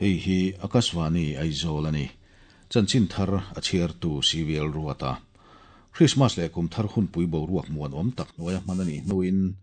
Hei hi Akashvani Aizawl a ni. Chanchin thar a chhiartu CVL Ruata. Krismas leh kum thar hunpui boruak muanawm tak hnuaia hman a nih hnuin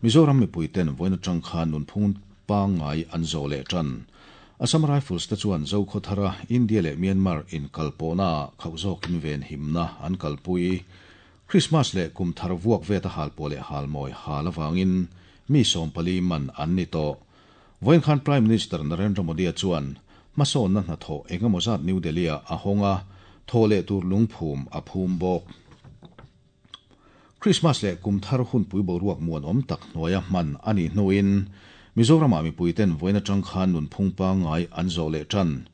Mizoram mipuiten vawiin atang khan nunphung pangngai an zawh leh tan. Assam Rifles te chuan Zokhawthara India leh Myanmar inkalpawhnaah khauh zawkin venhimna an kalpui. Krismas leh kum thar vuak vet a halpuah leh halmawi hal avangin mi 14 man an ni tawh. Vawiin khan Prime Minister Narendra Modi-a chuan hmasawnna hnathawh engemaw zat New Delhi-ah a hawng a, thawh leh tur lungphum a phum bawk. Krismas leh kum thar hunpui boruak muanawm tak hnuaia hman a nih hnuin Mizoramah mipuiten vawiin atang khan nunphung pangngai an zawh leh tan.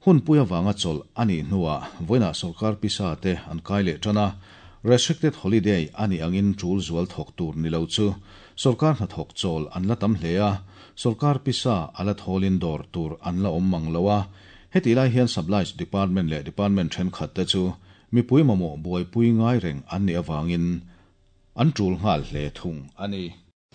Hunpui avanga chawlh a nih hnuah vawiinah sawrkar pisa te an kai leh tan a, restricted holiday a nih angin tul zual thawk tur ni lo chu sawrkar hnathawk chawl an la tam hle a, sawrkar pisa a la thawlin dawr tur an la awm mang lo a. Hetih lai hian Supplies Department leh Department thenkhat te chu Mipui mamawh buaipui ngai reng an nih avangin an tul nghal hle thung a ni.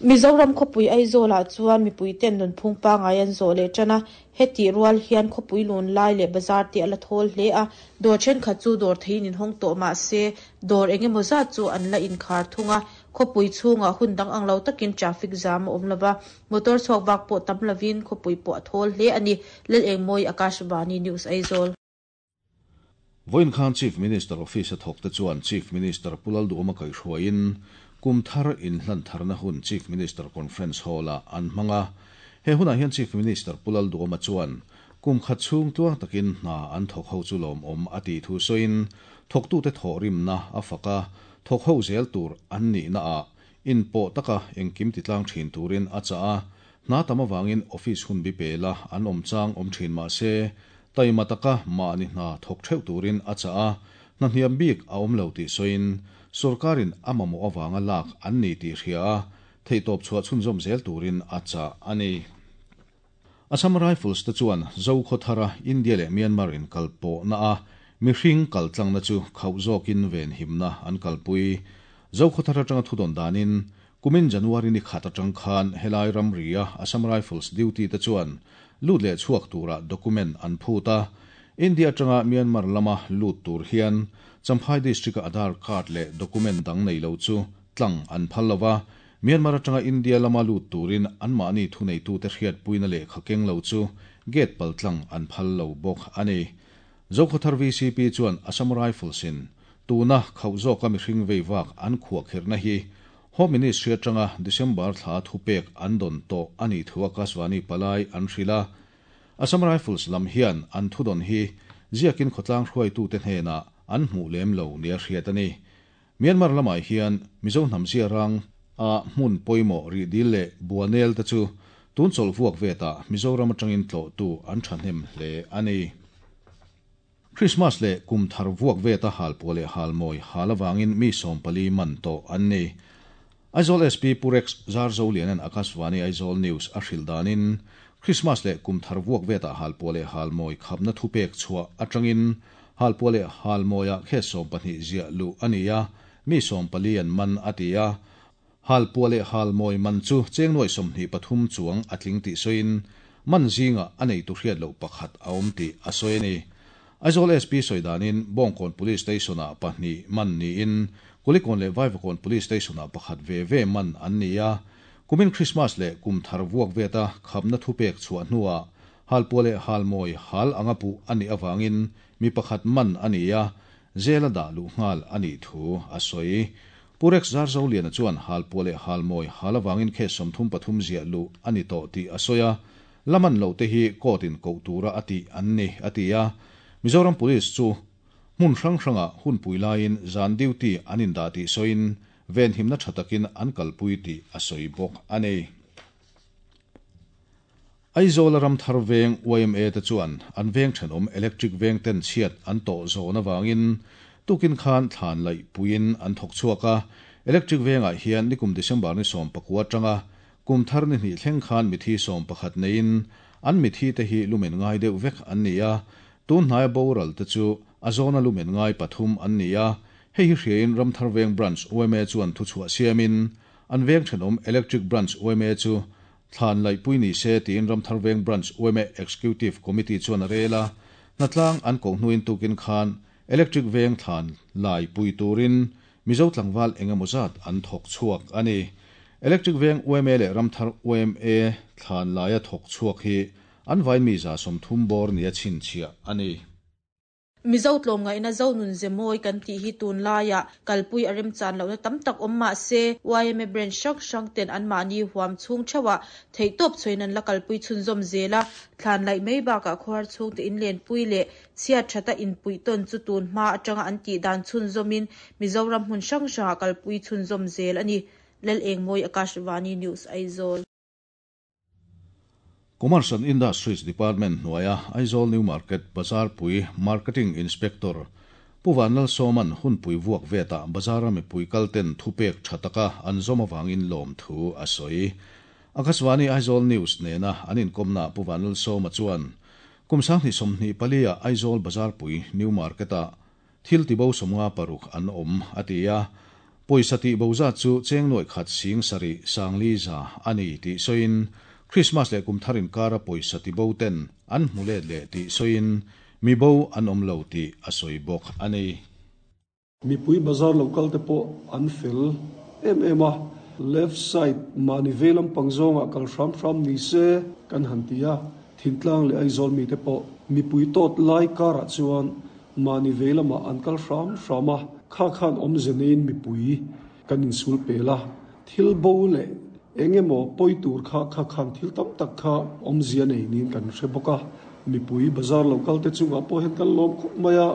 Mizoram khawpui Aizawlah chuan mipuiten nunphung pangngai an zawh leh tan a, hetih rual hian khawpui lun lai leh bazar te a la thawl hle a, dawr thenkhat chu dawr theiin inhawng tawh mah se dawr eng emaw zat chu an la inkhar thung a, khawpui chhungah hun dang ang lo takin traffic jam a awm lo va, motor chhuak vak pawh tam lovin khawpui pawh a thawl hle a ni. Lalengmawi Akashvani News Aizawl. Vawiin khan Chief Minister Office a thawkte chuan Chief Minister Pu Lalduhawma kaihhruaiin kum thar inhlan tharna hun Chief Minister Conference Hall-ah an hmang a. He hunah hian Chief Minister Pu Lalduhawma chuan kum khat chhung tluang takin hna an thawk ho chu lawmawm a tih thu sawiin thawktute thawhrimna a fak a, thawk ho zel tur an nihnaah inpawh taka engkim titlang thin turin a chah a. Hna tam avangin office hun bi pela an awm chang awm thin mah se, taima taka mahni hna thawk theuh turin a chah a, hna hniam bik a awm lo tih sawiin, sorkarin a mamawh avanga lak an ni tih hria a, theihtawp chhuah chhunzawm zel turin a chah a ni. Assam Rifles te chuan Zokhawthara India leh Myanmar inkalpawhna a mihring kaltlangna chu khauh zawkin venhimna an kalpui. Zokhawthar atanga thudawn danin Kumin January ni khat atang khan helai ramria Assam Rifles duty te chuan lut leh chhuak tura document an phut a, India atanga Myanmar lama lut tur hian Champhai District-a Aadhaar card leh document dang nei lo chu tlang an phal lo va, Myanmar atanga India lama lut turin anmahni thuneitute hriatpuina lehkha keng lo chu gate paltlang an phal lo bawk a ni. Zokhawthar VCP chuan Assam Rifles-in tuna khauh zawka mihring vei vak an khuahkhirhna hi Home Ministry atanga December thla thupek an dawn tawh a nih thu Akashvani palai an hrilh a. Assam Rifles lam hian an thudawn hi ziakin khawtlang hruaitute hnenah an hmuh lem lo nia hriat a ni. Myanmar lamah hian Mizo hnam ziarang a hmun pawimawh rihdil leh buanel te chu tun chawlh vuak vetah Mizoram atangin tlawhtu an thahnem hle a ni. Krismas leh kum thar vuak veta halpuah leh halmawi hal avangin mi 14 man tawh an ni. Aizawl SP Pu Rex Zarzolianan Akashvani Aizawl News a hrilh danin Krismas leh kum thar vuak vetah halpuah leh halmawi khapna thupek chhuah atangin halpuah leh halmawiah case 12 ziah luh a ni a, mi 14 an man a ti a. Halpuah leh halmawi man chu cheng nuai 23 chuang a tling tih sawiin man zingah a neitu hriat loh pakhat a awm tih a sawi a ni. Aizawl SP sawi danin Bawngkawn Police Station-ah pahnih man niin Kulikawn leh Vaivakawn Police Station-ah pakhat ve ve man an ni a. Kumin Krismas leh kum thar vuak veta khapna thupek chhuah hnuah halpuah leh halmawi hal anga puh a nih avangin mi pakhat man a ni a, jail-a dah luh nghal a nih thu a sawi. Pu Rex Zarzoliana chuan halpuah leh halmawi hal avangin case 33 ziah luh a ni tawh tih a sawi a, la man loh te hi court in koh tura a tih an ni, a ti a. Mizoram Police chu hmun hrang hrangah hunpui laiin zan duty an indah tih sawiin venhimna tha takin an kalpui tih a sawi bawk a ni. Aizawla Ramthar Veng yma te chuan an veng thenawm electric veng ten chhiat an tawh zawn avangin tukin khan thlan laih puiin an thawk chhuak a. Electric vengah hian nikum December ni 19 atanga kum thar ni hnih thleng khan mithi 11 neiin an mithi te hi lumen ngai deuh vek an ni a. Tun hnaia boral te chu a zawna lumen ngai pathum an ni a. Hei hi hriain Ramthar Veng Branch yma chuan thuchhuah siamin an veng thenawm Electric Branch yma chu Thlan laihpui ni se tiin Ramthar Veng Branch yma Executive Committee chuan a rel a, hnatlang an koh hnuin tukin khan Electric Veng thlan laipui turin Mizo tlangval engemaw zat an thawk chhuak a ni. Electric Veng yma leh Ramthar yma thlan laia thawk chhuak hi an vain mi 30 bawr nia chhinchhiah a ni. Mizo tlawmngaihna Zonun ze mawi kan tih hi tunlaiah kalpui a remchan lohna tam tak awm mah se, yma branch hrang hrang ten anmahni huam chhung theuhah theihtawp chhuain an la kalpui chhunzawm zel a, thlan laih mai bakah khawhar chhungte inlenpui leh chhiat thata inpuih tawn chu tun hma atanga an tih dan chhunzawmin Mizoram hmun hrang hrangah kalpui chhunzawm zel a ni. Lalengmawi Akashvani News Aizawl. Commerce and Industries Department hnuaia Aizawl New Market Bazarpui Marketing Inspector Pu Vanlalsawma'n hunpui vuak vetah bazara mipui kalten thupek tha taka an zawm avangin lawmthu a sawi. Akashvani Aizawl News nena an inkawmnaah Pu Vanlalsawma chuan kum 2024-ah Aizawl Bazarpui New Market-ah thil tibo 56 an awm a ti a, pawisa tihbo zat chu cheng nuaih khat sing sarih sangli za a ni tih sawiin Christmas leh kum thar inkara pawisa tibo ten an hmu let leh tih sawiin mi bo an awm lo tih a sawi bawk a ni. Mipui bazar lo kal te pawh an fel em em a, left side mahni vei lampang zawngah kal hram hram ni se kan han ti a, Thintlang leh Aizawl mite pawh mipui tawt lai karah chuan mahni vei lamah an kal hram hram a, kha khan awmze neiin mipui kan insul pel a, thil bo leh eng emaw pawi tur kha kha khan thil tam tak kha awmzia nei niin kan hre bawk a, mipui bazar lo kal te chungah pawh hian kan lawm khawp mai a,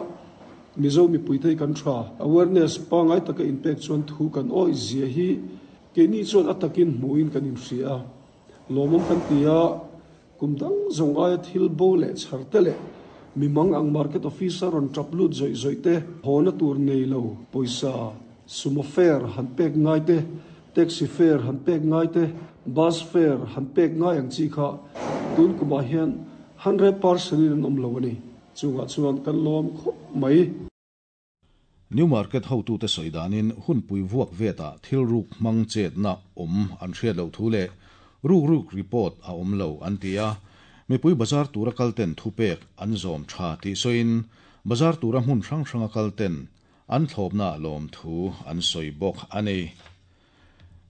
Mizo mipui te hi kan tha. Awareness pangngai taka inpek chuan thu kan awih zia hi keini chuan a takin hmuhin kan inhria a, lawmawm kan ti a, kum dang zawng aia thil bo leh chhar te leh mi mang ang market officer rawn tap lut zawih zawih te, hawna tur nei lo pawisa sumo fare han pek ngai te, taxi fare han pek ngai te, bus fare han pek ngai ang chi kha tun kumah hian 100% in an awm lo a ni. Chungah chuan kan lawm khawp mai. New Market hotute sawi danin hunpui vuak vetah thil ruk hmang chetna awm an hriat loh thu leh ruk ruk report a awm lo an ti a. Mipui bazar tura kalten thupek an zawm tha tih sawiin bazar tura hmun hrang hranga kalten an thlawpna lawm thu an sawi bawk a ni.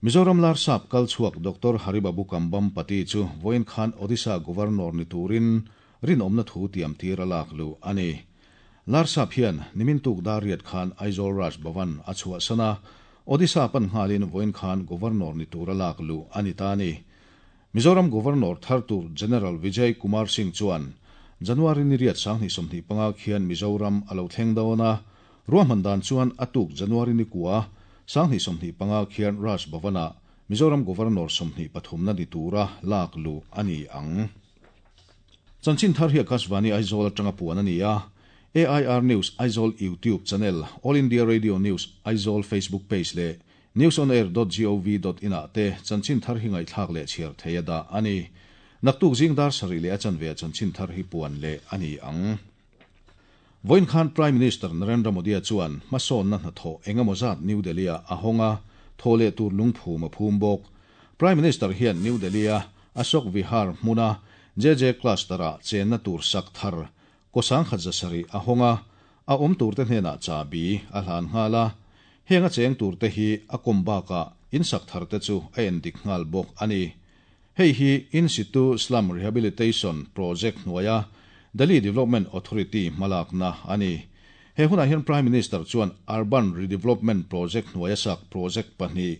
Mizoram Larsap kal chhuak Doctor Haribabu Kambhampati chu vawiin khan Odisha Governor ni turin rinawmna thu tiam tir a lak luh a ni. Larsap hian nimin tuk dar riat khan Aizawl Raj Bhavan a chhuahsan a, Odisha pan nghalin vawiin khan Governor ni tura lak luh a ni ta a ni. Mizoram Governor thar tur General Vijay Kumar Singh chuan January ni riat 2025 khian Mizoram a lo thleng dawn a, ruahman dan chuan a tuk January ni kua 2025 khian Raj Bhavan-ah Mizoram Governor 23na ni tura lak luh a ni ang. Chanchin thar hi Akashvani Aizawl atanga puan a ni a, AIR News Aizawl YouTube channel, All India Radio News Aizawl Facebook page leh newsonair.gov.in ah te chanchin thar hi ngaihthlak leh chhiar thei a dah a ni. Naktuk zing dar sarih leh a chanve a chanchin thar hi puan leh a ni ang. Vawiin khan Prime Minister Narendra Modi-a chuan hmasawnna hnathawh engemaw zat New Delhi-ah a hawng a, thaw leh tur lungphum a phum bawk. Prime Minister hian New Delhi-a Ashok Vihar hmuna JJ Cluster-ah chenna tur sak thar kawsang khat 700 a hawng a, a awm turte hnenah chabi a hlan nghal a. Heng a cheng turte hi a kawm bakah in sak tharte chu a endik nghal bawk a ni. Hei hi In Situ Slum Rehabilitation Project hnuaia Delhi Development Authority hmalakna a ni. He hunah hian Prime Minister chuan Urban Redevelopment Project hnuaia sak project pahnih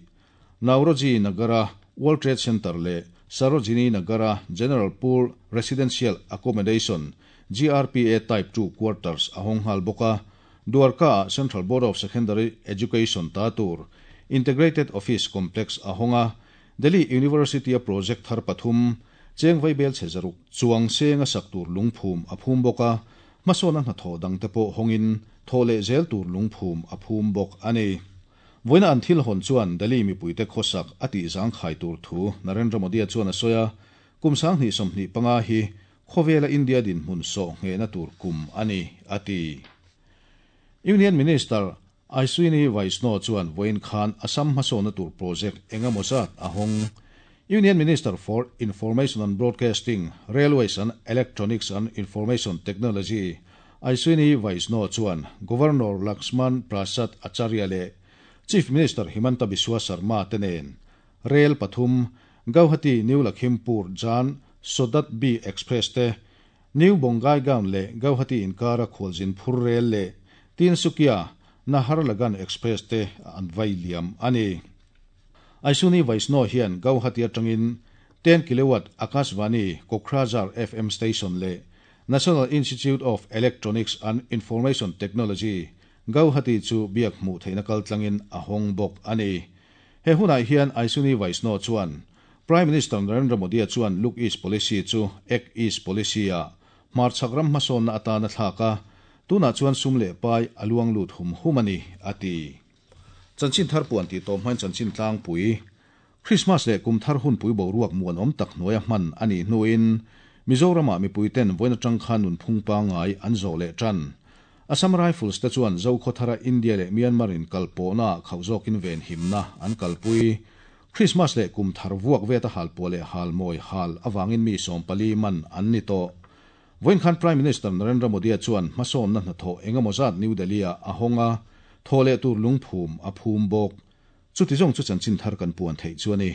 Nauroji Nagara World Trade Centre leh Sarojini Nagara General Poor Residential Accommodation GRPA Type 2 Quarters a hawng nghal bawk a, Dwarka-ah Central Board of Secondary Education ta tur Integrated Office Complex a hawng a, Delhi University-a project thar pathum cheng vaibel chhe 600 chuang seng a sak tur lungphum a phum bawk a, hmasawna hnathawh dangte pawh hawngin thaw leh zel tur lungphum a phum bawk a ni. Vawiina an thil hawn chuan Delhi mipuite khawsak a tih zangkhai tur thu Narendra Modi-a chuan a sawi a, kum 2025 hi khawvela India dinhmun sawh nghehna tur kum a ni, a ti. Union Minister Ashwini Vaishnaw chuan vawiin khan Assam hmasawna tur project engemaw zat a hawng. Union Minister for Information and Broadcasting, Railways and Electronics and Information Technology, Ashwini Vaishnaw chuan Governor Laxman Prasad Acharya leh Chief Minister Himanta Biswa Sarma te nen Rel pathum, Gauhati New Lakhimpur Jan Shatabdi Express te, New Bongaigaon leh Gauhati inkara khualzin phur rel leh Tinsukia Naharlagun Express te an vai liam a ni. Ashwini Vaishnaw hian Gauhati atangin 10 kilowatt Akashvani Kokrajhar FM station leh National Institute of Electronics and Information Technology, Gauhati chu biak hmuh theihna kaltlangin a hawng bawk a ni. He hunah hian Ashwini Vaishnaw chuan Prime Minister Narendra Modi-a chuan Look East Policy chu Act East Policy-ah hmarchhak ram hmasawnna atan a thlak a, tunah chuan sum leh pai a luang lut hum hum a ni, a ti. Chanchin thar puan tih tawp hmain chanchin tlangpui, Krismas leh kum thar hunpui boruak muanawm tak hnuaia hman a nih hnuin Mizoramah mipuiten vawiin atang khan nunphung pangngai an zawh leh tan. Assam Rifles te chuan Zokhawthara India leh Myanmar in kalpawhnaah khauh zawkin venhimna an kalpui. Krismas leh kum thar vuak veta halpuah leh halmawi hal avangin mi 14 man an ni tawh. Vawiin khan Prime Minister Narendra Modi-a chuan hmasawnna hnathawh engemaw zat New Delhi-ah a hawng a, thawh leh tur lungphum a phum bawk. Chuti zawng chu chanchin thar kan puan theih chu a ni.